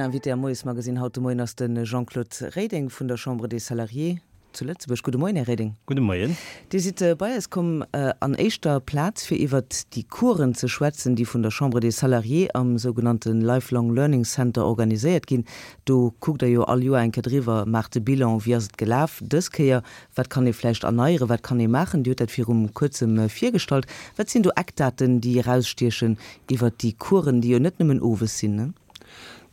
Invité am Moiesmagazine haut de Moien ass de Jean-Claude Reding vun der Chambre des Salariés zu Lëtzebuerg. Gudde Moien, Här Reding. Gudde Moien. Dir sidd bei eis komm an éischter Plaz fir iwwert déi Coursen ze schwätzen, déi vun der Chambre des Salariés am sougenannte Lifelong Learning Center organiséiert ginn. Do kuckt Der jo all Joer eng Kéier driwwer, maacht de Bilan, wéi ass et gelaf dës Kéier, wat kann ee vläicht erneieren, wat kann ee maachen. Dir hutt dat virum kuerzem virgestallt. Wat sinn do Eckdaten, déi erausstiechen iwwert déi Coursen, déi jo net nëmmen owes sinn, ne?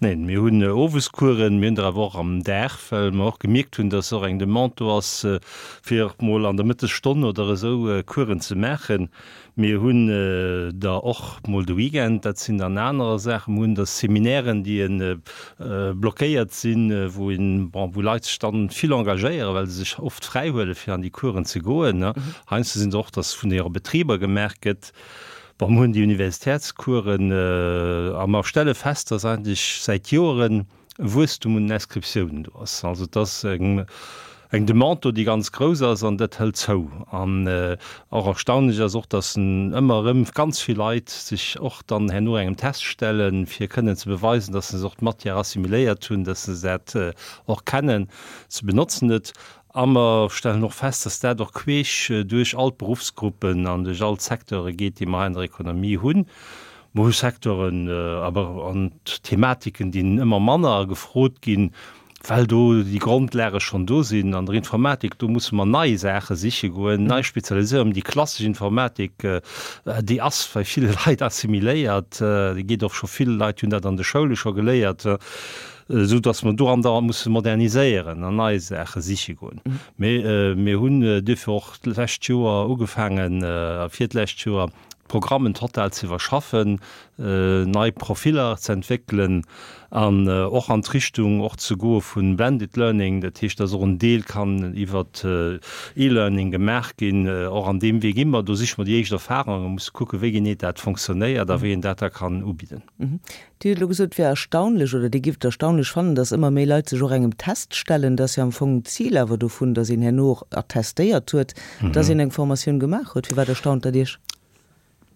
Neen, mir hunn Owescoursen, mir hunn der awer och am Dag, well mer och gemierkt hunn, dass och eng Demande do ass, fir mol an der Mëttesstonn oder esou Coursen ze maachen. Mir hunn der och mol de Weekend, dat sinn dann anerer Saachen. Mir hunn der Seminairen, déi blockéiert sinn, wou een, bon, wou Leit sech dann vill engagéieren, well se sech oft fräi huelen, fir an déi Coursen ze goen. Heiansdo sinn se och, dass vun hire Betriber gemaach gëtt. Bon, mir hunn déi Universitätscoursen a mer stelle fest, dass eigentlech säit Joeren e Wuesstum un den Inscriptiounen do ass. Also et ass eng eng Demande do, déi ganz grouss ass an dat hëlt zou. An och erstaunlech ass och, dass ëmmer erëm ganz vill Leit sech och dann herno engem Test stellen, fir kënnen ze beweisen, dass se och d'Matière assimiléiert hunn, dass se dat och kennen ze benotzen. Et A mer stellen och fest, dass dat och queesch duerch all d'Beruffsgruppen an duerch all d'Secteure geet, déi mer hei an der Ekonomie hunn. Mer hu Secteuren awer an Thematiken, déi ëmmer manner gefrot ginn, well do déi Grondlage schonn do sinn. An der Informatik, do musse mer nei Saache siche goen, nei Spezialisierung. Déi klassesch Informatik, déi ass bei ville Leit assimiléiert, déi geet och scho, vill Leit hunn dat an de Schoule scho geléiert. esou datt mer do andauernd musse moderniséieren an nei Saache siche goen. Mee mir hunn duerfir och d'lescht Joer ugefaangen, a virdlescht Joer, d'Programmen total ze iwwerschaffen, nei Profiller ze entwéckelen an och an d'Richtung och ze goe vu Blended Learning, dat heescht, datt och en Deel kann iwwer E-Learning gemaach ginn. Och an deem Wee gi mer. Do siche mer déi éischt Erfahrungen, musse kucke wéi genee dat fonctionnéiert a wéi een dat da kann ubidden. Dir hutt elo gesot, et wär erstaunlech oder Dir gifft et erstaunlech fannen, datt ëmmer méi Leit sech och engem Test stellen. Dat ass jo am Fong d'Zil awer dovun, datt een herno och attestéiert huet, datt een eng Formatioun gemaach huet. Firwat erstaunt dat Iech?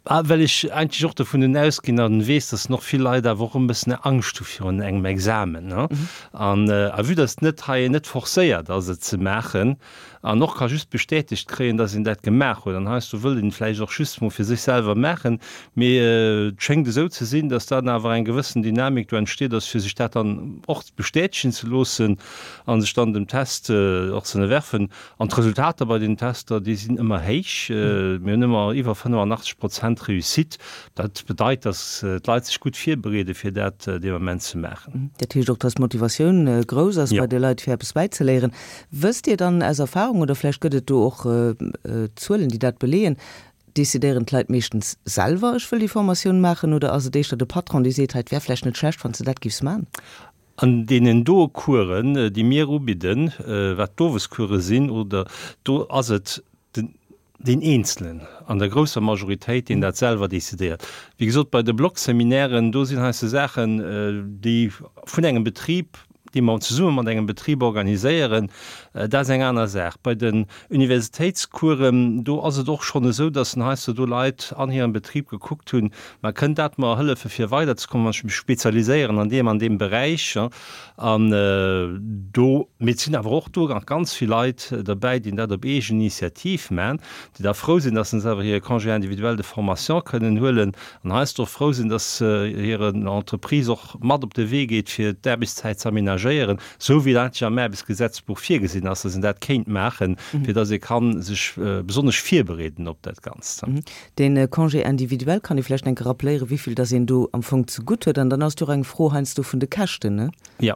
Well ech eigentlech och dovun ausginn a weess, datt och vill Leit awer och e bëssen Angscht hu virun engem Examen. An a vue datt net hei net forcéiert ass, et ze maachen, An och ka just bestätegt kréien, dass een dat gemaach huet. An heiansdo wëllt een et vläicht och just mol fir sech selwer maachen, mee et schéngt esou ze sinn, dass dann awer eng gewëssen Dynamik do entsteet ass, fir sech dat dann och bestätegen ze loossen a sech dann dem Test och ze ënnerwerfen. An d'Resultater bei den Tester, déi sinn ëmmer héich. Mir hunn ëmmer iwwer 85 Prozent Réussite. Dat bedeit, dass d'Leit sech gutt virbereeden, fir dat dee Moment ze maachen. Dat heescht och, dass d'Motivatioun grouss ass bei de Leit, fir eppes bäizeléieren. Wësst Dir dann aus Erfahrung, oder vläicht gëtt et do och Zuelen, déi dat beleeën, decidéieren d'Leit meeschtens selwer, ech wëll déi Formatioun maachen, oder ass et éischter de Patron, dee seet, hei, et wär vläicht net schlecht, wann s de dat giffs man? An deenen doe Coursen, déi mir ubidden, wat d'Owescourse sinn, oder do ass et den deen Eenzelen an der grousser Majoritéit, deen dat selwer decidéiert. Wéi gesot, bei de Blockseminairen, do sinn heiansdo Saachen, déi vun engem Betrib, déi mer zesumme mat engem Betrib organiséieren, dat ass eng aner Saach. Bei den Universitéitscoursen, do ass et och schonn esou, dass heiansdo do Leit an hirem Betrib gekuckt hunn, Ma kënnt dat mer hëllefe fir weiderzekommen, wann ech mech spezialiséieren an deem an deem Beräich? An do, mee et sinn awer och do nach ganz vill Leit derbäi, déi dat op eegen Initiativ maachen, déi da frou sinn, dass se awer hire Congé individuel de formation kënnen huelen an heiansdo och frou sinn, dass hire Entreprise och mat op de Wee geet, fir d'Aarbechtszäit ze aménagéieren, esou wéi dat eigentlech am Aarbechtsgesetzbuch virgesinn ass, dass een dat kéint maachen, fir dass ee ka sech besonnesch virbereeden op dat Ganzt. Dee Congé individuel, kann ee vläicht eng Kéier rappeléieren, wéivill dass een do am Fong zegutt huet? An dann ass et jo och eng Fro heiansdo vun de Käschten, ne? Jo.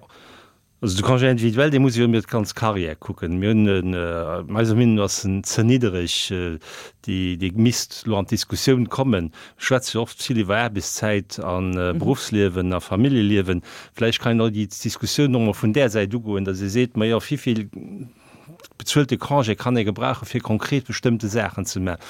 Also de Congé individuel, dee muss ee jo iwwer d'ganz Carrière kucken. Mir hunn en, eiser Meenung no ass en ze niddereg, déi, dee misst elo an d'Diskussioun kommen. Mir schwätze jo oft vill iwwer Aarbechtszäit a Beruffsliewen a Familljeliewen. Vläicht kann een och déi Diskussioun och mol vun där Säit ugoen, dass ee seet, Majo, wéivill bezuelte Congé kann ee gebrauchen, fir konkret bestëmmte Saachen ze maachen.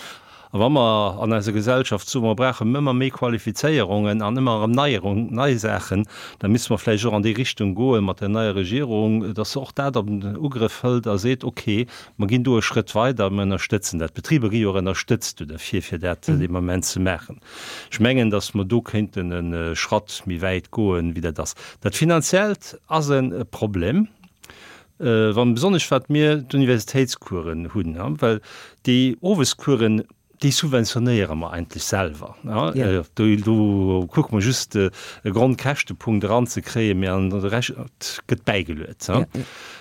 A wa mer an eiser Gesellschaft soen, mer brauchen ëmmer méi Qualifizéierungen an ëmmer erëm Neierung, nei Saachen, da misste mer vläicht och an déi Richtung goe mat der neier Regierung, dass se och dat an den Ugrëff hëlt a seet, okay, mer ginn do e Schrëtt weider, mer ënnerstëtzen dat. D'Betriber gi jo och ënnerstëtzt do derfir, fir dat dee Moment ze maachen. Ech mengen, dass mer do kéinten e Schratt méi wäit goen, wéi dat ass. Dat Finanziellt ass e Problem. Wann besonnesch wat mir d'Universitéitscoursen hunn, well déi Owescoursen, déi subventionéiere mer eigentlech selwer. Do kucke mer just e Grondkäschtepunkt eranzekréien, mee an de Rescht gëtt bäigeluet.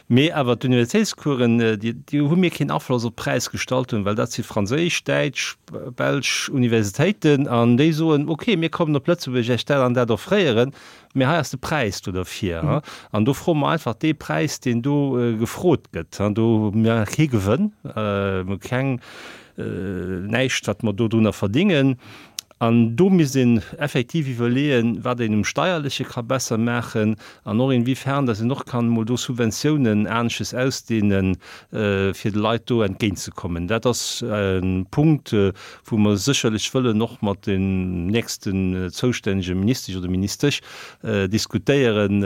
Mee awer d'Universitéitscoursen, déi hu mir keen Afloss op d'Präisgestaltung, well dat si franséisch, däitsch, belsch Universitéiten an déi soen, okay, mir kommen op Lëtzebuerg Iech dat an dat offréieren, Mee hei ass de Präis do derfir. An do froe mer einfach dee Präis, deen do gefrot gëtt. Do hu mir kee Gewënn, mir hu keng, näischt, wat mer dodrunner verdingen. An do misst een effektiv iwwerleeën, wat een um Steierleche ka besser maachen an och inwiefern dass een och kann emol do Subventiounen anesches ausdehnen, fir de Leit do entgéintzekommen. Dat ass e Punkt, wou mer sécherlech wëllen och mat den nächsten zoustännege Ministesch oder Ministesch diskutéieren,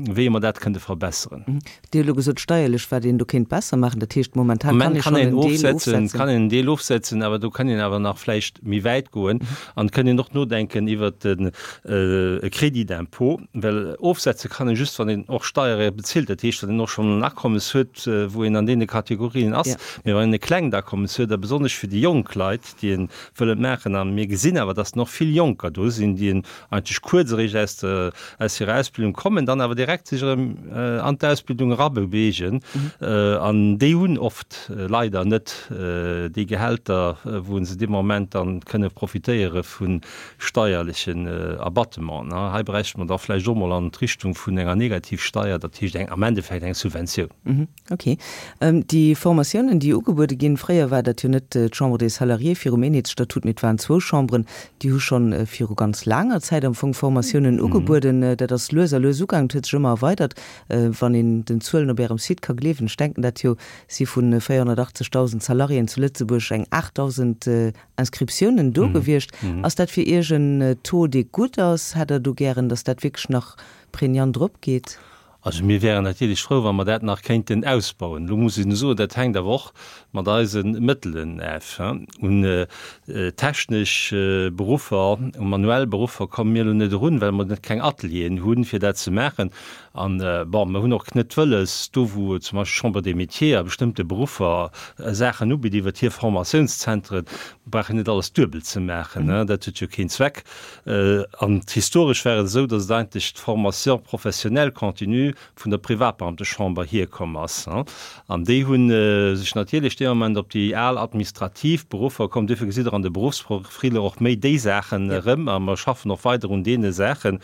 wéi mer dat kënnte verbesseren. Dir hutt elo gesot, steierlech, wat een do kéint besser maachen. Dat heescht, momentan kann ee schonn en Deel ofsetzen. Kann een en Deel ofsetzen, awer do kann een awer nach vläicht méi wäit goen an et kënnt een och nodenken iwwert e Crédit d'impôt, well ofsetze kann ee just, wann een och Steiere bezilt, dat heescht, wann een och schonn en Akommes huet, wou een an deene Kategorien ass. Mee wann een e klengt Akommes huet, a besonnesch fir déi jonk Leit, déi e wëllen maachen, a mir gesinn awer, dass och vill Jonker do sinn, déi eigentlech kuerz eréischt aus der, aus hirer Ausbildung kommen, dann awer direkt sech erëm an d'Ausbildung erabeweegen, an déi hunn oft leider net déi Gehälter, wou se dee Moment dann kënne profitéiere vu steierlechen Abattementen. Hei bräichte mer da vläicht och mol an d'Richtung vun enger Negativsteier, dat heescht eng, am Endeffekt eng Subventioun. Ok. Déi Formatiounen, déi ugebuede ginn, fréier war dat jo net d'Chambre des Salariés virum Eenheetsstatut, mee et waren zwou Chamberen, déi hu scho viru ganz laanger Zäit am Fong Formatiounen ugebueden. Dat ass lues a lues ugaangen, et huet sech ëmmer erweidert, wann een den Zuelen op Ärem Site ka gleewen. Ech denken dat jo, si vu 480.000 Salariéen zu Lëtzebuerg eng 8.000 Inscriptiounen do gewiescht. Ass dat fir Iech en Taux, dee gutt ass? Hätt Der do gären, datt dat wierklech nach prégnant eropgeet? Also mir wäeren natierlech frou, wa mer dat nach kéinten ausbauen. Elo muss een soen, dat hänkt awer och mat eise Mëttelen of. Un technesch Beruffer, u manuell Beruffer komme mir elo net erun, well mer net keng Atelieren hunn, fir dat ze maachen. An, bon, mer hunn och net wëlles, do wou zum Beispill d'Chambre des Métiers a bestëmmte Beruffer Saachen ubitt iwwert hir Formatiounszentren, brauch een net alles duebel ze maachen. Dat huet jo keen Zweck. An historesch war et esou, datt et eigentlech d'Formation professionnelle continue vun der Privatbeamtechamber hierkomm ass. An déi hu sech natierlech dee Moment op déi al administrativ Beruffer komm. Duerfir gesitt Der an de Beruffsprofiller och méi déi Saachen erëm. A mer schaffen och weider un deene Saachen.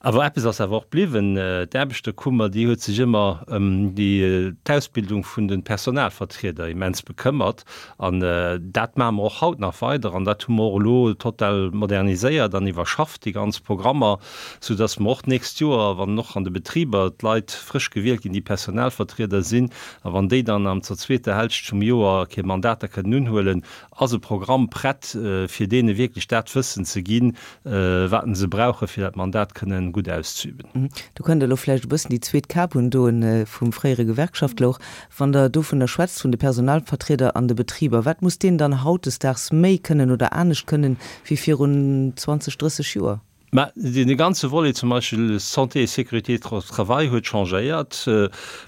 Awer eppes ass awer och bliwwen, D'Aarbechterkummer, déi huet sech ëmmer ëm déi d'Ausbildung vun de Personalvertrieder immens bekëmmert. An dat maache mer och haut nach weider. An dat hu mer och elo total moderniséiert an iwwerschafft, déi ganz Programmer, soudass mer och d'nächst Joer, wann och an de Betriber d'Leit frësch gewielt ginn, déi Personalvertrieder sinn, a wann déi dann am zur zweeter Hälscht vum Joer hir Mandater kënnen unhuelen, ass e Programm prett, fir deene wierklech dat Wëssen ze ginn, wat se brauchen, fir dat Mandat kënnen gutt auszeüben. Do kënnt elo vläicht e bëssen déi zweet Kap undoen vum fréiere Gewerkschaftler och. Wann Der dovunner schwätzt, vun de Personalvertrieder an de Betriber, wat muss deen dann hautdesdaags méi kënnen oder anescht kënnen wéi virun 20, 30 Joer? Mä dee ganze Volet zum Beispill Santé et sécurité au travail huet changéiert.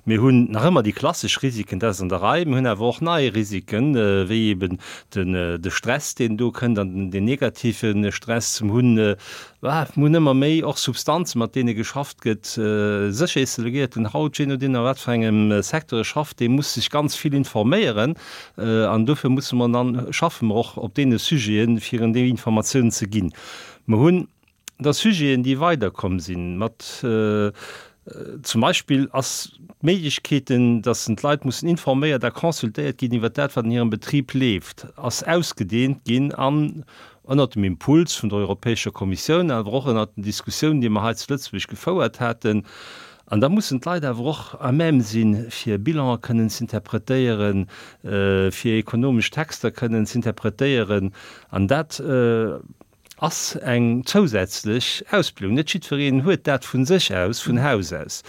Mir hunn nach ëmmer déi klassesch Risiken, dat ass an der Rei. Mir hunn awer och nei Risiken, wéi eben den de Stress, deen do kënnt an den negative Stress. Mir hunn, mir hunn ëmmer méi och Substanzen, mat deene geschafft gëtt. Sécherheetsdelegéierten haut, jee nodeem a wat fir engem Secteur e schafft, dee muss sech ganz vill informéieren. An dofir musse mer dann, schaffe mer och op deene Sujeten, fir en déi Informatiounen ze ginn. Mer hunn da Sujeten, déi weiderkomm sinn, mat zum Beispill ass d'Méiglechkeeten, dass d'Leit mussen informéiert a consultéiert ginn iwwert dat, wat an hirem Betrib leeft, ass ausgedehnt ginn an ënnert dem Impuls vun der Europäescher Kommissioun, awer och ënnert den Diskussiounen, déi mer hei zu Lëtzebuerg gefouert haten. An da mussen d'Leit awer och à même sinn, fir Bilanen kënnen z'interpretéieren, fir ekonomesch Texter kënnen z'interpretéieren. An dat ass eng zousätzlech Ausbildung. Net jiddwereen huet dat vu sech aus, vun Haus aus.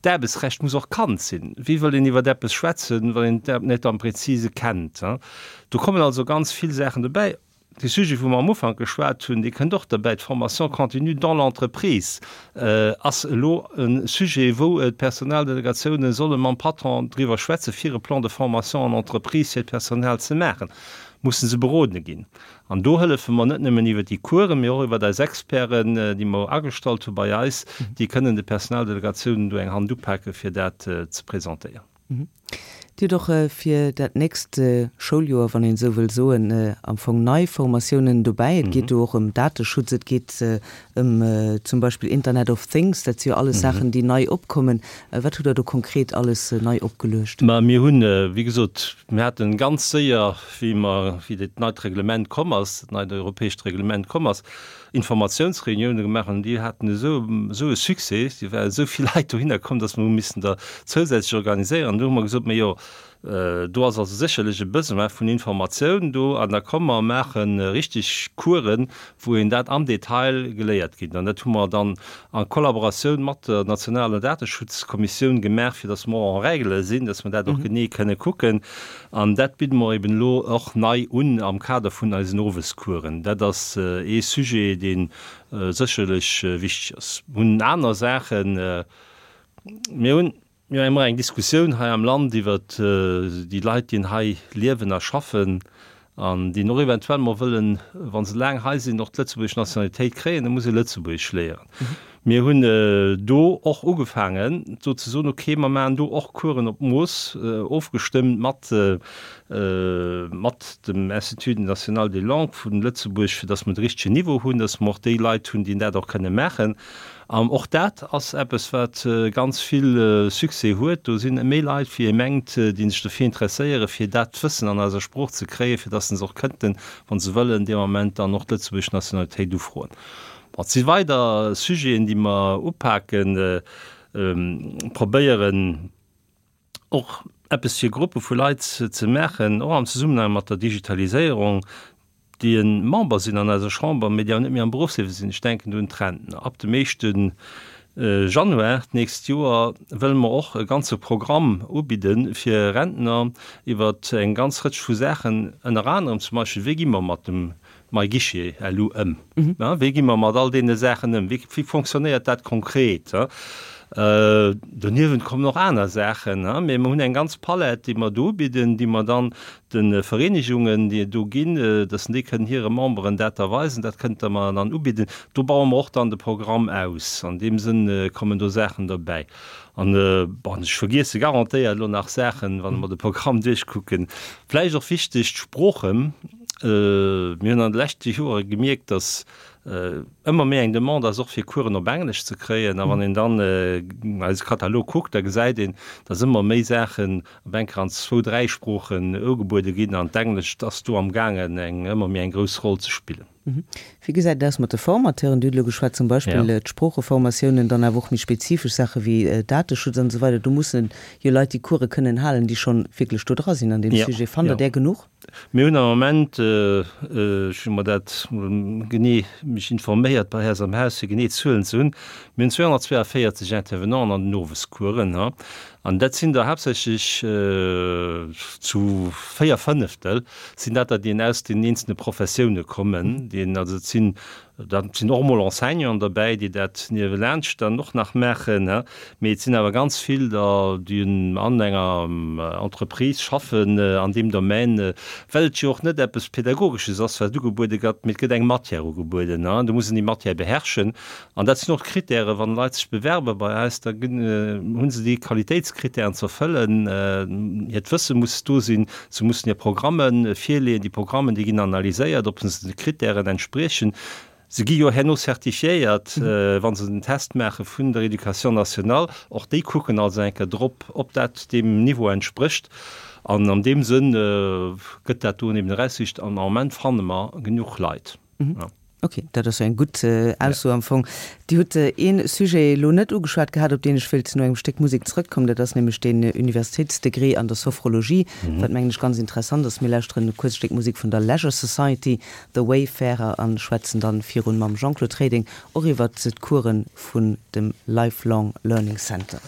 D'Aarbechtsrecht muss och kannt sinn. Wéi wëll een iwwer eppes schwätzen, wann een et net am Präzise kennt? Do kommen also ganz vill Saachen dobäi. Dee Sujet, wou mer am Ufank geschwat hunn, dee kënnt och derbäi, d'Formation continue dans l'entreprise ass elo e Sujet, wou d'Personaldelegatiounen solle mam Patron driwwer schwätzen, fir e Plan de formation en entreprise fir d'Personal ze maachen, musse se berodene ginn. An do hëllefe mer net nëmmen iwwer déi Coursen, mee och iwwer eis Experten, déi mer agestallt hu bei eis, déi kënnen de Personaldelegatiounen do eng Hand upake fir dat ze presentéieren. Dir hutt och fir dat nächst Schouljoer, wann een esou wëll soen, am Fong nei Formatiounen dobäi. Et geet do och ëm Dateschutz, et geet ëm zum Beispill Internet of Things. Dat si jo alles Saachen, déi nei opkommen. Wat hutt Der do konkret alles nei opgeluecht? Ma mir hunn, wéi gesot, mir haten ganz séier, wéi mer, wéi dat neit Reglement komm ass, dat neit europäescht Reglement komm ass, Informatiounsreunioune gemaach an déi haten esou esou e Succès, déi waren esou vill Leit dohinner komm, datt mer hu missen der zousätzlech organiséieren. An du hu mer gesot, Majo, do ass also sécherlech e Besoin vun Informatioun do an da komm mer maache richteg Coursen, wou een dat am Detail geléiert ginn. An dat hu mer dann a Kollaboratioun mat der nationaler Dateschutzkommissioun gemaach, fir datt mer och en règle sinn, datt mer dat och genee kënne kucken. An dat bidde mer eben elo och nei un am Kader vun eisen Owescoursen. Dat ass ee Sujet, dee sécherlech wichteg ass. Mir hunn aner Saachen. Mir hunn jo ëmmer eng Diskussioun hei am Land iwwert déi Leit, déi hei liewen a schaffen an déi och eventuell mol wëllen, wa se laang hei sinn, och d'lëtzebuergesch Nationalitéit kréien. Da muss ee Lëtzebuergesch léieren. Mir hunn do och ugefaangen, do ze soen, okay, mer maachen do och Coursen op Mooss, ofgestëmmt mat, mat dem Institut national des langues vu Lëtzebuerg, fir datt mer de richtegen Niveau hunn, datt mer och déi Leit hunn, déi dat och kënne maachen. An och dat ass eppes, wat ganz vill Succès huet. Do si méi Leit, wéi ee mengt, déi sech dofir interesséieren, fir dat Wëssen an eiser Sprooch ze kréien, fir datt se och kënnten, wa se wëllen, dee Moment dann och d'lëtzebuergesch Nationalitéit ufroen. Bon, et si weider Sujeten, déi mer upaken, probéieren och eppes fir Gruppe vu Leit ze maachen, och am Zesummenhang mat der Digitaliséierung, déi e Member sinn an eiser Chamber, mee déi awer net méi am Beruffsliewe sinn. Ech denken do un d'Rentner. Ab dem éischte Januar d'nächst Joer wëlle mer och e ganze Programm ubidde fir Rentner iwwer eng ganz Rëtsch vu Saachen, ënner anerem zum Beispill, Wéi gi mer mat dem MyGuichet elo ëm? Wéi gi mer mat all deene Saachen ëm? Wéi fonctionnéiert dat konkret? Doniewent kommen och aner Saachen, mee mer hunn eng ganz Palett, déi mer do ubidden, déi mer dann de Vereenegungen, déi et do ginn, dass déi kënnen hire Memberen dat da weisen. Dat kënnte mer dann ubidden. Do baue mer och dann de Programm aus. An deem Sënn kommen do Saachen derbäi. An, bon, ech vergiesse garantéiert elo nach Saachen, wann mer de Programm duerchkucken. Vläicht och wichteg, d'Sproochen. Mir hunn an de leschte Joere gemierkt, datt ëmmer méi eng Demande ass, och fir Coursen op Englesch ze kréien. A wann een dann eise Katalog kuckt, da gesäit een, datt ëmmer méi Saachen op eng Kéier an zwou, dräi Sproochen ugebuede ginn. An d'Englescht ass do amgaangen, eng ëmmer méi eng grouss Roll ze spillen. Wéi gesäit et aus mat de Formateuren? Dir hutt elo geschwat, zum Beispill d'Sproocheformatiounen, dann awer och méi spezifesch Saache wéi Dateschutz an esou weider. Do mussen jo Leit déi Course kënnen halen, déi schonn wierklech do dra sinn an deem Sujet. Fannt Der där genuch? Mir hunn am Moment, ech hu mer dat mol genee mech informéiert bei eis am Haus, fir genee Zuelen ze hunn, mir hunn 242 Intervenanten an den Owescoursen. An dat sinn der haaptsächlech zu 4 Fënneftel sinn dat der, déi aus den eenzelne Professioune kommen, déi also et sinn, da sinn och emol Enseignanten derbäi, déi dat niewelaanscht dann och nach maachen, mee et sinn awer ganz vill der, déi an enger Entreprise schaffen an deem Domaine, well et jo och net eppes Pädagogesches ass, wat ugebuede gëtt, mee et gëtt eng Matière ugebueden an do muss een déi Matière beherrschen. An dat sinn och d'Kritären, wann Leit sech bewerbe bei eis, da hu se déi Qualitéitskritären ze erfëllen. Hiert Wësse muss do sinn, se mussen hir Programme virleeën. Déi Programmen, déi ginn analyséiert, ob se de Kritären entspriechen. Se gi jo herno certifiéiert, wa se den Test maache vun der Éducation nationale. Och déi kucken also eng Kéier drop, ob dat deem Niveau entsprécht. An an deem Sënn gëtt dat do eben erausgesicht. An am Moment fanne mer genuch Leit. Ok, dat ass jo eng gutt Ausso am Fong. Dir hutt ee Sujet elo net ugeschwat gehat, op deen ech wéilt no engem Stéck Musek zrëckkommen. Dat ass nämlech deen Universitéitsdegré an der Sophrologie, wat mengen ech ganz interessant ass. Mir lauschteren e kuerzt Stéck Musek vun der Leisure Society, The Wayfarer, an schwätzen dann virun mam Jean-Claude Reding och iwwert d'Coursen vun dem Lifelong Learning Center.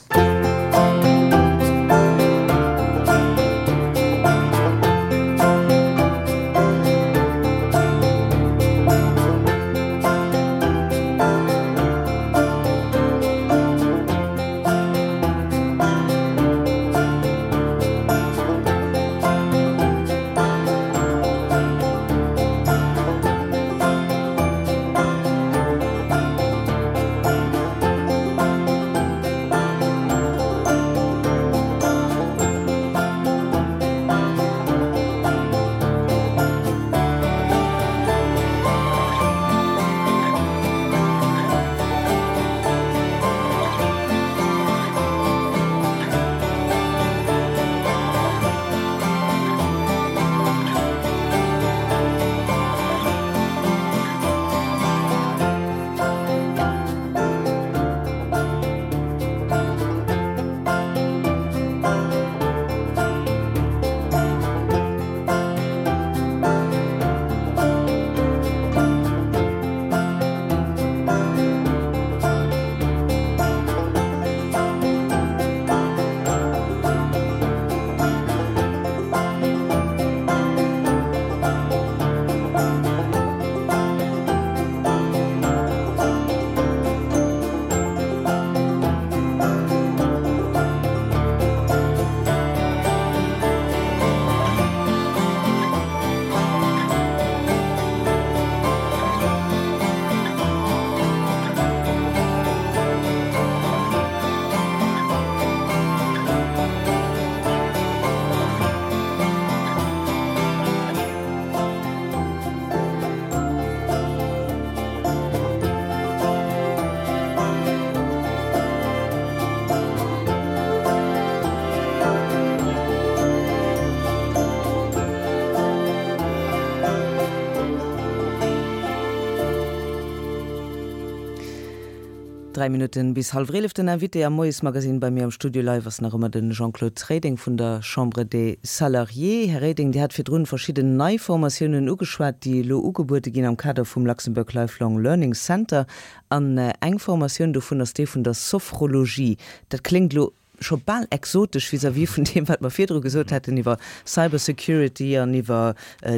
Dräi Minutten bis hallwer 11. Den Invité am Moiesmagazine bei mir am Studio live ass nach ëmmer de Jean-Claude Reding vun der Chambre des Salariés. Här Reding, Dir hat virdrun verschidden nei Formatiounen ugeschwat, déi elo ugebuede ginn am Kader vum Luxembourg Lifelong Learning Center. An eng Formatioun dovun ass déi vun der Sophrologie. Dat kléngt elo scho bal exotesch vis-à-vis vun deem, wat mer virdru gesot haten iwwer Cybersecurity an iwwer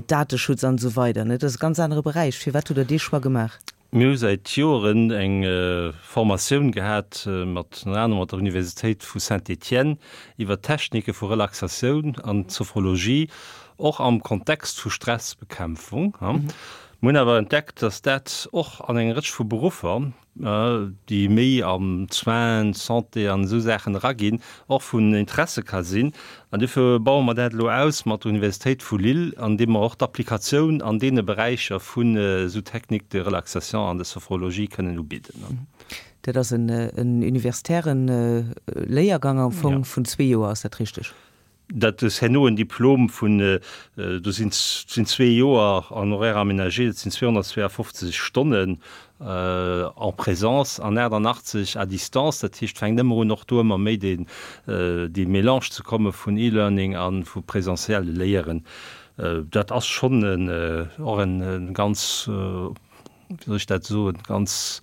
Dateschutz an esou weider. Dat ass e ganz anere Beräich. Firwat hutt Der dee Choix gemaach? Mir hu säit Joren eng Formatioun gehat mat ënner anerem mat der Universitéit vu Saint-Étienne iwwer Technike vu Relaxatioun an Sophrologie, och am Kontext vu Stressbekämpfung. Mir hunn awer entdeckt, dass dat och an enger Rëtsch vu Beruffer, déi méi am Soins, Santé an esou Saachen eraginn, och vun Interesse ka sinn. An duerfir baue mer dat elo aus mat der Universitéit vu Lille, andeem mer och d'Applikatioun an deene Beräicher vun esou Techniques de relaxation an de sophrologie kënnen ubidden. Dat ass en universitäre Léiergang am Fong vun zwee Joer, ass dat richteg? Dat ass herno en Diplom vun, do sinn zwee Joer en horaire aménagé, dat sinn 252 Stonnen en présence an 88 à distance. Dat heescht, fänkt ëmmer un och do ëmmer méi deen, dee Mélange ze komme vun E-Learning a vu presentielle Léieren. Dat ass schonn en, och en ganz, wéi soll ech dat soen, ganz,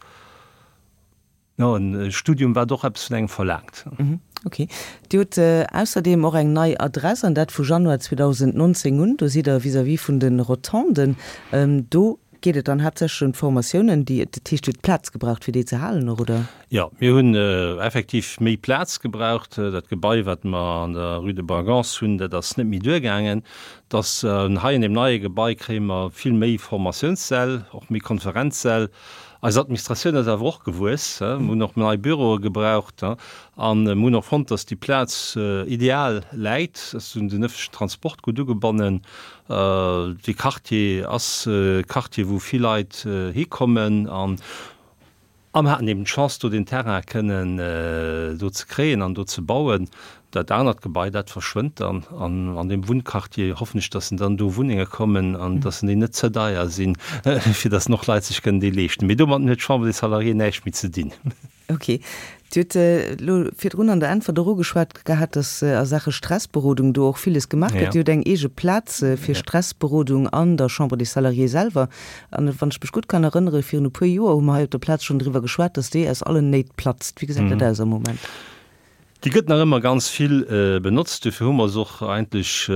jo, en Studium, wat och eppes vun engem verlaangt. Ok. Dir hutt ausserdeem och eng nei Adress, an dat vu Januar 2019 un. Do sidd Der vis-à-vis vun de Rotonden. Do geet et dann haaptsächlech ëm d'Formatiounen, déi, dat heescht, Dir hutt Plaz gebraucht, fir déi ze halen och, oder? Jo, mir hunn effektiv méi Plaz gebraucht. Dat Gebai, wat mer an der Rue de Bragance hunn, dat ass net méi duergaangen. Dass hei an deem neie Gebai kréie mer vill méi Formatiounssäll, och méi Konferenzsäll. Eis Administratioun ass awer och gewuess. Mir hunn och nei Büroe gebraucht a mir hunn och fonnt, dass déi Plaz ideal läit. Ass un den ëffentlechen Transport gutt ugebonnen. Dee Quartier ass e Quartier, wou vill Leit hikommen an a mir haten eben d'Chance, do deen Terrain kënnen do ze kréien an do ze bauen. Dat anert Gebai, dat verschwënnt dann. An an deem Wunnquartier hoffen ech, dass dann do Wunnenge kommen an dass déi net ze deier sinn, fir dass och Leit sech kënnen déi leeschten. Mee domatten huet d'Chambre des Salariés näischt méi ze dinn. Ok. Dir hutt elo virdrun an der Äntwert och ugeschwat gehat, dass a Saache Stressberodung do och villes gemaach gëtt. Dir hutt eng eege Plaz fir Stressberodung an der Chambre des Salariés selwer. An wann ech mech gutt kann erënneren, virun e puer Joer hu mer hei op der Plaz schonn driwwer geschwat, dass déi aus allen Néit platzt. Wéi gesäit dat aus am Moment? Déi gëtt nach ëmmer ganz vill benotzt, dofir hu mer se och eigentlech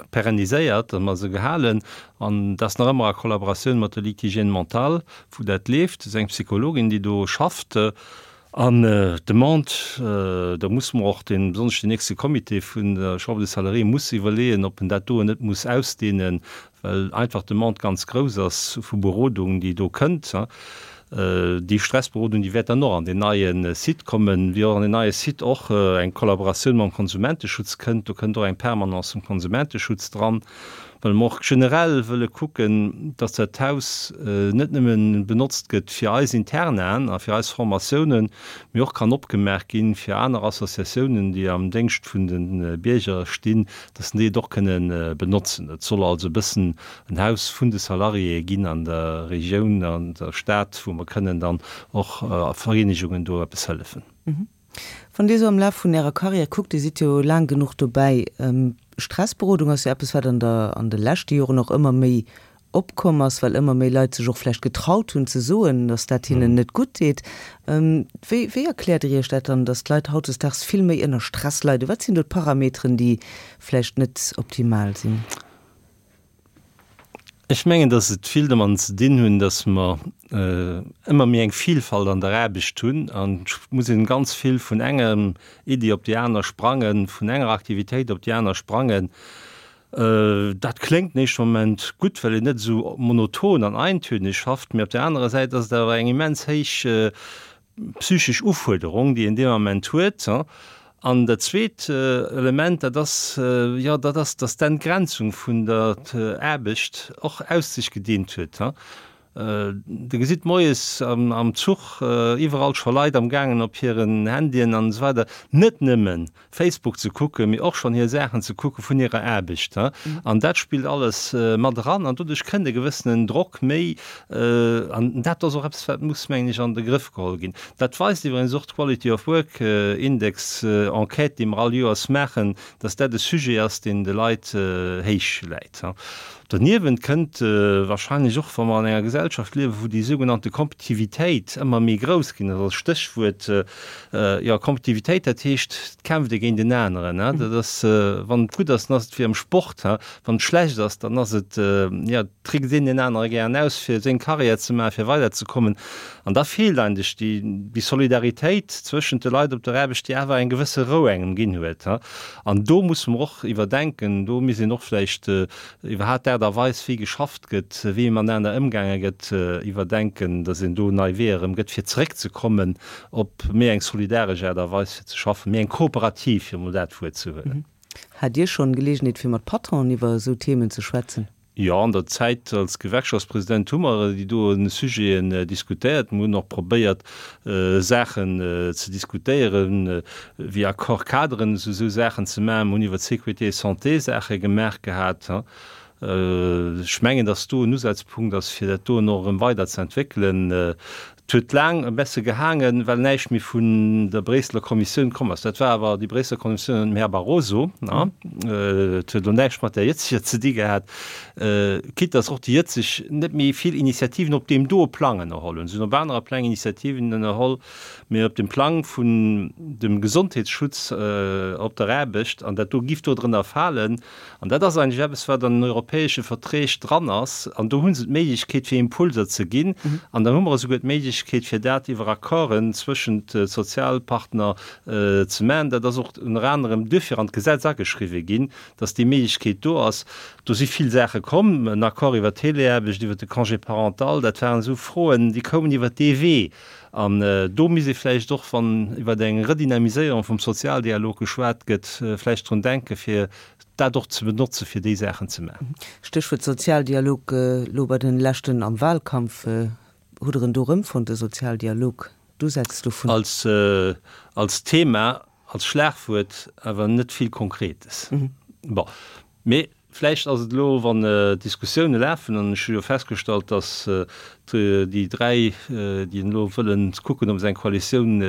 perenniséiert a mer se gehalen. An dat ass nach ëmmer a Kollaboratioun mat der Ligue d'hygiène mentale, wou dat leeft. Dat ass eng Psychologin, déi do schafft. An d'Demande, do musse mer och dee, besonnesch den nächste Comité vun der Chambre des Salariés muss iwwerleeën, ob en dat doen net muss ausdehnen, well einfach d'Demande ganz grouss ass vu Berodung, déi do kënnt. Déi Stressberodung, déi wäert dann och an deen neie Site kommen, wéi och an deen neie Site och eng Kollaboratioun mam Konsumenteschutz kënnt. Do kënnt och eng Permanence vum Konsumenteschutz dran, well mer och generell wëlle kucken, dass dat Haus net nëmme benotzt gëtt fir eis Internaen a fir eis Formatiounen, mee och kann opgemaach ginn fir aner Associatiounen, déi am Déngscht vun de Bierger stinn, dass déi et och kënne benotzen. Et soll also e bëssen en Haus vun de Salariéë ginn an der Regioun, an der Stad, wou mer kënnen dann och Vereenegungen do eppes hëllefen. Wann Dir esou am Laf vun Ärer Karriär kuckt, Dir sidd jo laang genuch dobäi, Stressberodung ass jo eppes, wat an der, an de leschte Joren och ëmmer méi opkomm ass, well ëmmer méi Leit sech och vläicht getraut hunn ze soen, datt dat hinnen net gutt deet. Wéi, wéi erkläert Dir Iech dat dann, datt d'Leit hautdesdaags vill méi ënner Stress leiden? Wat sinn do d'Parameteren, déi vläicht net optimal sinn? Ech mengen, datt et vill domadden ze dinn hunn, datt mer ëmmer méi eng Vielfalt an der Aarbecht hunn an et muss een ganz vill vun enger Iddi op déi aner sprangen, vun enger Aktivitéit op déi aner sprangen. Dat kléngt den éischte Moment gutt, well een net esou monoton an eintönig schafft, mee op där anerer Säit ass et awer eng immens héich psychesch Ufuerderung, déi een dee Ament huet. An dat zweet Element, dat ass, jo, dat ass, dass d'Entgrenzung vun der Aarbecht och aus sech gedeent huet. Der gesitt moies am Zuch iwwerall scho Leit amgaangen op hiren Handyen an esou weider net nëmmen Facebook ze kucken, mee och schonn hir Saachen ze kucke vun hirer Aarbecht. An dat spillt alles mat eran an doduerch kënnt e gewëssenen Drock méi. An dat ass och eppes, wat muss, mengen ech, an de Grëff geholl ginn. Dat weist iwwregens och d'Quality of Work Index Enquête, déi mer all Joers maachen, dass dat e Sujet ass, deen de Leit héich läit. Doniewent kënnt wahrscheinlech och, wa mer an enger Gesellschaft liewen, wou déi sougenannte Kompetitivitéit ëmmer méi grouss ginn ass, als Stéchwuert, jo, Kompetitivitéit, dat heescht, et kämpft ee géint en aneren, dat ass, wann et gutt ass, dann ass et wéi am Sport, wann et schlecht ass, dann ass et, jo, trickst een deen anere gären aus, fir seng Karriär ze maachen, fir weiderzekommen. An da feelt eigentlech déi, déi Solidaritéit zwëschent de Leit op der Aarbecht, déi awer eng gewësse Rou engem ginn huet. An do musse mer och iwwerdenken, do misst een och vläicht iwwerhaapt d'Aart a Weis, wéi geschafft gëtt, wéi matenaner ëmgaange gëtt, iwwerdenken, datt een do nei Weeër erëm gëtt, fir zeréckzekommen op méi eng solidaresch Aart a Weis fir ze schaffen, méi eng kooperativ, fir emol dat Wuert ze huelen. Hat Dir schonn Geleegenheet, fir mat Patronen iwwer esou Themen ze schwätzen? Jo, an der Zäit als Gewerkschaftspresident hu mer déi do Sujeten diskutéiert. Mer hunn och probéiert, Saachen ze diskutéieren, wéi Accord-cadren, esou Saachen ze maachen. Mer hunn iwwer d'Sécurité et Santé Saache gemaach gehat. Ech mengen, datt do en Usazpunkt ass, fir dat doen och erëm weider ze entwéckelen. Et huet laang e besse gehaangen, well näischt méi vun der Bréisseler Kommissioun komm ass. Dat war awer déi Bréisseler Kommissioun ënner dem Här Barroso. Et huet elo näischt mat där jëtzeger ze di gehat, quitte dass och déi jëtzeg net méi vill Initiativen op deem doe Plang ënnerholl hunn. Se hunn op anere Pläng Initiativen ënnerholl, mee op dem Plang vun dem Gesondheetsschutz op der Aarbecht, an dat do giff do drënner falen, An dat ass eigentlech eppes, wat an den europäesche Verträg dran ass. An do hu se d'Méiglechkeet, fir Impulser ze ginn. An dann hu mer esouguer d'Méiglechkeet, fir dat iwwer Accorden zwëschent de Sozialpartner ze maachen. Dat ass och ënner anerem duerfir an d'Gesetz ageschriwwen ginn, dass déi Méiglechkeet do ass. Do si vill Saache komm, en Accord iwwer d'Teleaarbecht, iwwer de Congé parental, dat waren esou Froen, déi koumen iwwer dee Wee. An do misst ee vläicht och, wann iwwer eng Redynamiséierung vum Sozialdialog geschwat gëtt, vläicht drun denken, fir dat och ze benotzen, fir déi Saachen ze maachen. Stéchwuert Sozialdialog, elo bei den leschten am Wahlkampf, hutt Der en do erëmfonnt, de Sozialdialog, d'Usätz dovun? Als Thema. Als Schlagwuert, awer net vill Konkretes. Bon, mee vläicht ass et elo, wann d'Diskussioune lafen, an ech hu jo festgestallt, datt déi dräi, déi elo wëllen kucken, ob se eng Koalitioun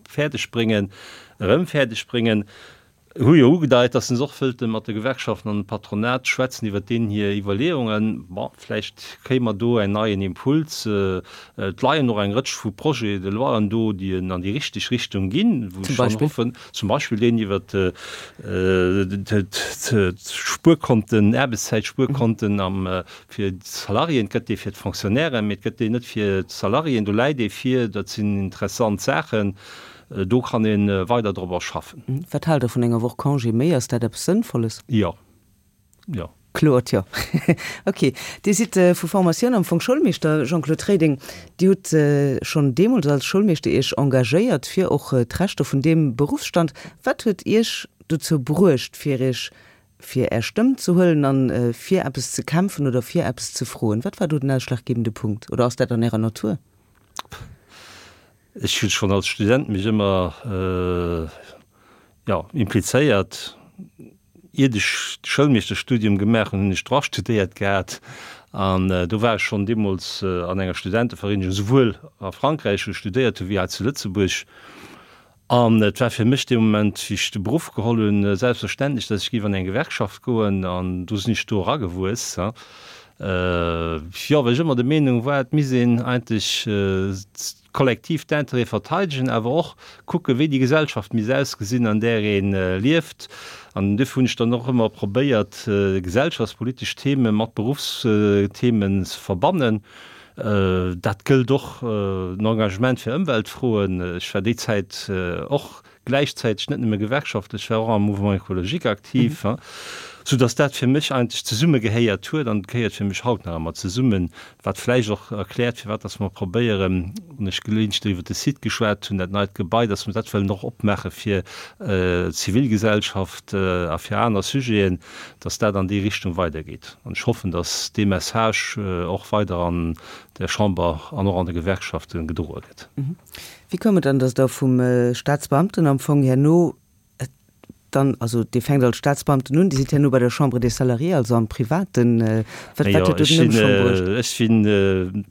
fäerdeg bréngen, erëm fäerdeg bréngen, hu jo ugedeit, datt se och wëllte mat de Gewerkschaften an dem Patronat schwätzen iwwert deenen hir Iwwerleeungen. Bon, vläicht kréie mer do en neien Impuls. Et leien och eng Rëtsch vu Projets de loien do, déi an déi richteg Richtung ginn, wou ech dann hoffen, zum Beispill deen iwwert d'Spuerkonten, Aarbechtszäitspuerkonten am fir d'Salariéen. Et gëtt dee fir d'Fonctionnairen, mee et gëtt deen net fir d'Salariéen. Do läit ee vir. Dat sinn interessant Saachen. Do kann ee weider drobber schaffen. Wat haalt Der vun enger Woch Congé méi? Ass dat eppes Sënnvolles? Jo. Jo. Kloert Jo. Ok. Dir sidd vu Formatioun am Fong Schoulmeeschter, Jean-Claude Reding. Dir hutt schonn deemools als Schoulmeeschter Iech engagéiert fir och d'Rechter vun deem Beruffsstand. Wat huet Iech dozou bruecht, fir Iech fir Är Stëmm ze huelen an fir eppes ze kämpfen oder fir eppes ze froen? Wat war do den ausschlaggebende Punkt? Oder ass dat an Ärer Natur? Ech hunn schonn als Student mech ëmmer, jo, implizéiert. Iert ech de Schoulmeeschterstudium gemaach hunn, hunn ech Droit studéiert gehat an do war ech schonn deemools an enger Studentevereenegung, souwuel a Frankräich, wou ech studéiert hunn, wéi hei zu Lëtzebuerg. An et war fir mech dee Moment, wéi ech de Beruff geholl hunn, selbstverständlech, datt ech géif an eng Gewerkschaft goen. An do sinn ech do eragewuess. Jo, well ech ëmmer der Meenung war, et misst een eigentlech kollektiv d'Intérêtë verteidegen, awer och kucken, wéi déi Gesellschaft misst ausgesinn, an där ee lieft. An duerfir hunn ech dann och ëmmer probéiert, gesellschaftspolitesch Theme mat Beruffsthemen ze verbannen. Dat gëllt och den Engagement fir Ëmweltfroen. Ech war déi Zäit och gläichzäiteg net nëmme Gewerkschaftler, ech war och am Mouvement écologique aktiv, soudass dat fir mech eigentlech zesummegehéiert huet an et gehéiert fir mech haut nach ëmmer zesummen, wat vläicht och erkläert, firwat dass mer probéieren, wann ech geleeëntlech iwwert de Site geschwat hunn, dat neit Gebai, dass mer dat wëllen och opmaache fir d'Zivilgesellschaft a fir aner Sujeten, dass dat an déi Richtung weidergeet. An ech hoffen, dass dee Message och weider an der Chamber an och an de Gewerkschafte gedroe gëtt. Wéi koum et dann, dass Der vum Staatsbeamten am Fong herno dann, also Dir fänkt als Staatsbeamten un, Dir sidd herno bei der Chambre des Salariés, also am Privaten, wat huet do den Ëmschwong bruecht? Ech sinn,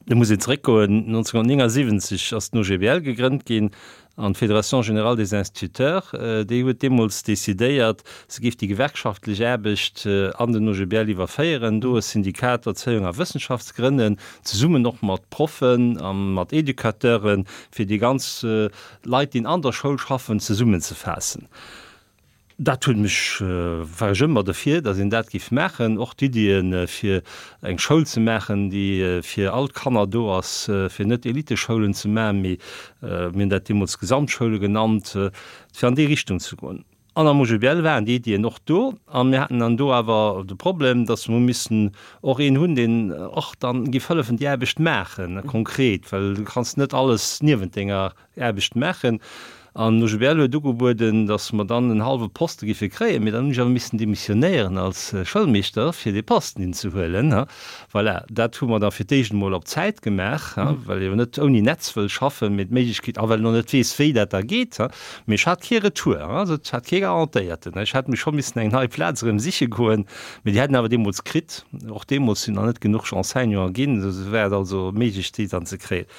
Do muss een zeréckgoen, 1979 ass den OGBL gegrënnt ginn an d'Fédération générale des instituteurs, déi huet deemools decidéiert, se géif déi gewerkschaftlech Aarbecht an den OGBL iwwerféieren, do e Syndikat Erzéiung a Wëssenschaft ze grënnen, zesummen och mat Proffen a mat Educateuren, fir déi ganz Leit, déi an der Schoul schaffen, zesummenzefaassen. Dat huet mech, war ech ëmmer derfir, datt een dat géif maachen, och d'Iddien, fir eng Schoul ze maachen, déi fir all d'Kanner do ass, fir net Eliteschoulen ze maachen, mee mir hunn dat deemools Gesamtschoule genannt, fir an déi Richtung ze goen. An am OGBL waren déi Iddien och do a mir haten dann do awer de Problem, datt mer hu missen och een hunn, deen och dann géif hëllefen déi Aarbecht maachen, konkret, well du kanns net alles niewent denger Aarbecht maachen. An OGBL huet ugebueden, datt mer dann en hallwe Poste géife kréien, mee dann hunn ech awer missen demissionéieren als Schoulmeeschter, fir dee Posten hinzehuelen. Voilà, dat hu mer da fir d'éischt emol op Zäit gemaach, well ee jo net ouni Netz wëll schaffen, mee d'Méiglechkeet, a well en och net weess, wéi dat da geet. Mee ech hat kee Retour, also ech hat kee garantéierten. Ech hätt mir scho missen eng nei Plaz erëm siche goen, mee déi hätt en awer deemools kritt. Och deemools sinn nach net genuch Enseignanten ginn, esou war et also méiglech, déi dann ze kréien.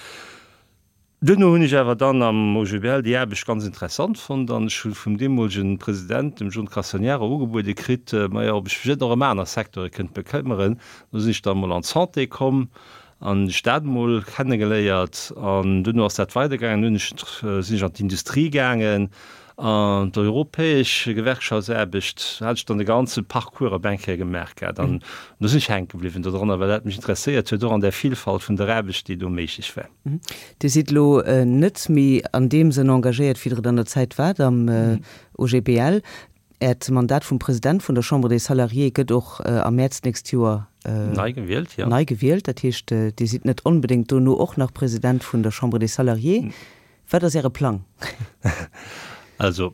Duerno hunn ech awer dann am OGBL déi Aarbecht ganz interessant fonnt an ech hu vum deemolegen President, dem John Castagnaro, ugebuede kritt, majo, ob ech mech net och ëm aner Secteure kënnt bekëmmeren. Do sinn ech dann emol an d'Santé komm an hunn ech dat emol kennegeléiert an duerno ass dat weidergaangen. Dunn hunn ech, sinn ech an d'Industrie gaangen an d'europäesch Gewerkschaftsaarbecht, hat ech dann de ganze Parcours op eng Kéier gemaach gehat an do sinn ech hänke bliwwen dodranner, well dat mech interesséiert huet, och an där Vielfalt vun der Aarbecht, déi do méiglech war. Dir sidd elo net méi an deem Sënn engagéiert, wéi Der et an der Zäit waart am OGBL. Äert Mandat vum President vun der Chambre des Salariés gëtt och am Mäerz d'nächst Joer nei gewielt. Nei gewielt. Dat heescht, Dir sidd net onbedéngt dono och nach President vun der Chambre des Salariés. Wat ass Äre Plang? Also,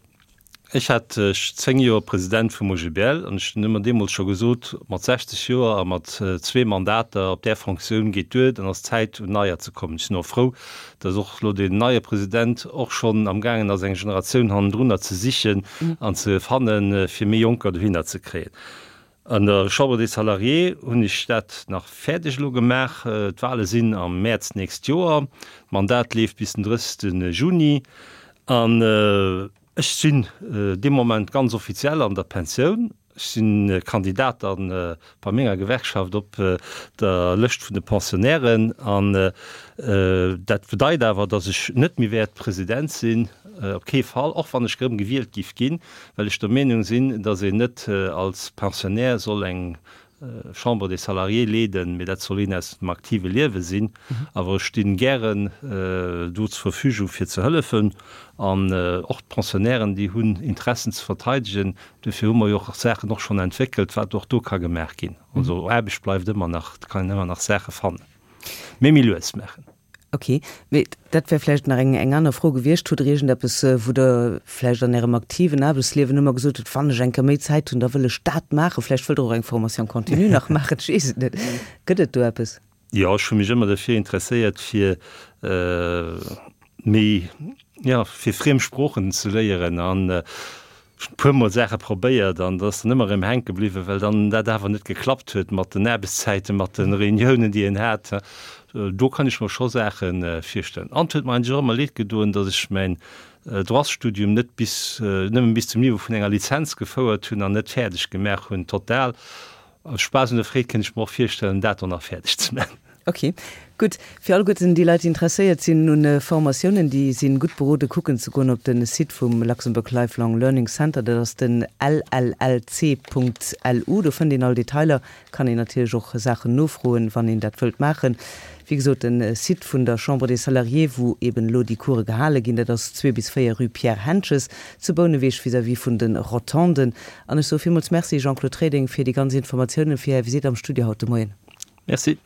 Ech hat 10 Joer President vum OGBL an ech hunn ëmmer deemools scho gesot, mat 60 Joer a mat zwee Mandater op där Fonctioun geet duer, dann ass Zäit un Neier ze kommen. Ech sinn och frou, datt och elo deen neie President och schonn am gaangen ass eng Generatioun hannendrunner ze sichen an ze fannen, fir méi Jonker dohinner ze kréien. An der Chambre des Salariés hunn ech dat nach fäerdeg elo gemaach. D'Wale sinn am Mäerz d'nächst Joer. D'Mandat leeft bis den 30 Juni. An ech sinn dee Moment ganz offiziell an der Pensioun. Ech si Kandidat da bei menger Gewerkschaft op der Lëscht vun de Pensionnairen. An dat bedeit awer, datt ech net méi wäert President sinn, op kee Fall, och wann ech erëm gewielt giff ginn, well ech der Meenung sinn, datt een net als Pensionnaire soll eng Chambre des Salariés leeden, mee dat soll een aus dem aktive Liewe sinn. Awer ech stinn gären do zur Verfügung fir ze hëllefen. An och d'Pensionnairen, déi hunn Interessen ze verteidegen. Duerfir hu mer jo och Saachen och schonn entwéckelt, wat och do ka gemaach ginn. Also Aarbecht bleift ëmmer nach, et kann een ëmmer nach Saache fannen, mee méi lues maachen. Ok, mee dat wär vläicht nach eng eng aner Fro gewiescht. Hutt Der iergendeppes, wou Der vläicht an Ärem aktiven Aarbechtsliewen ëmmer gesot hutt, Wann ech eng Kéier méi Zäit hunn, da wëll ech dat maachen? Vläicht wëllt Der och eng Formation continue nach maachen, ech weess et net. Gëtt et do eppes? Jo, ech hu mech ëmmer derfir interesséiert, fir méi, jo, fir friem Sproochen ze léieren an Ech hunn e puer mol Saache probéiert an dat ass dann ëmmer erëm hänke bliwwen, well dann dat awer net geklappt huet mat den Aarbechtszäiten, mat de Reuniounen, déi een hat. Do kann ech mer scho Saache virstellen. An et huet mer eigentlech och ëmmer leed gedoen, datt ech mäin Droitsstudium net bis, nëmmen bis zum Niveau vun enger Lizenz gefouert hunn an net fäerdeg gemaach hunn total. Aus Spaass un der Freed kéint ech mer och virstellen, dat och nach fäerdeg ze maachen. Ok, gutt. Fir alleguerten déi Leit, déi interesséiert sinn un Formatiounen, déi sinn gutt beroden, kucken ze goen op de Site vum Luxembourg Lifelong Learning Center. Dat ass den llc.lu. Do fënnt een all Detailer, kann een natierlech och Saachen nofroen, wann een dat wëllt maachen. Wéi gesot, de Site vun der Chambre des Salariés, wou eben elo déi Course gehale ginn, dat ass 2 bis 4 rue Pierre Hentges zu Bouneweg vis-à-vis vun de Rotonden. An ech soe villmools Merci, Jean-Claude Reding, fir déi ganz Informatiounen, fir Är Visitt am Studio haut de Moien. Merci.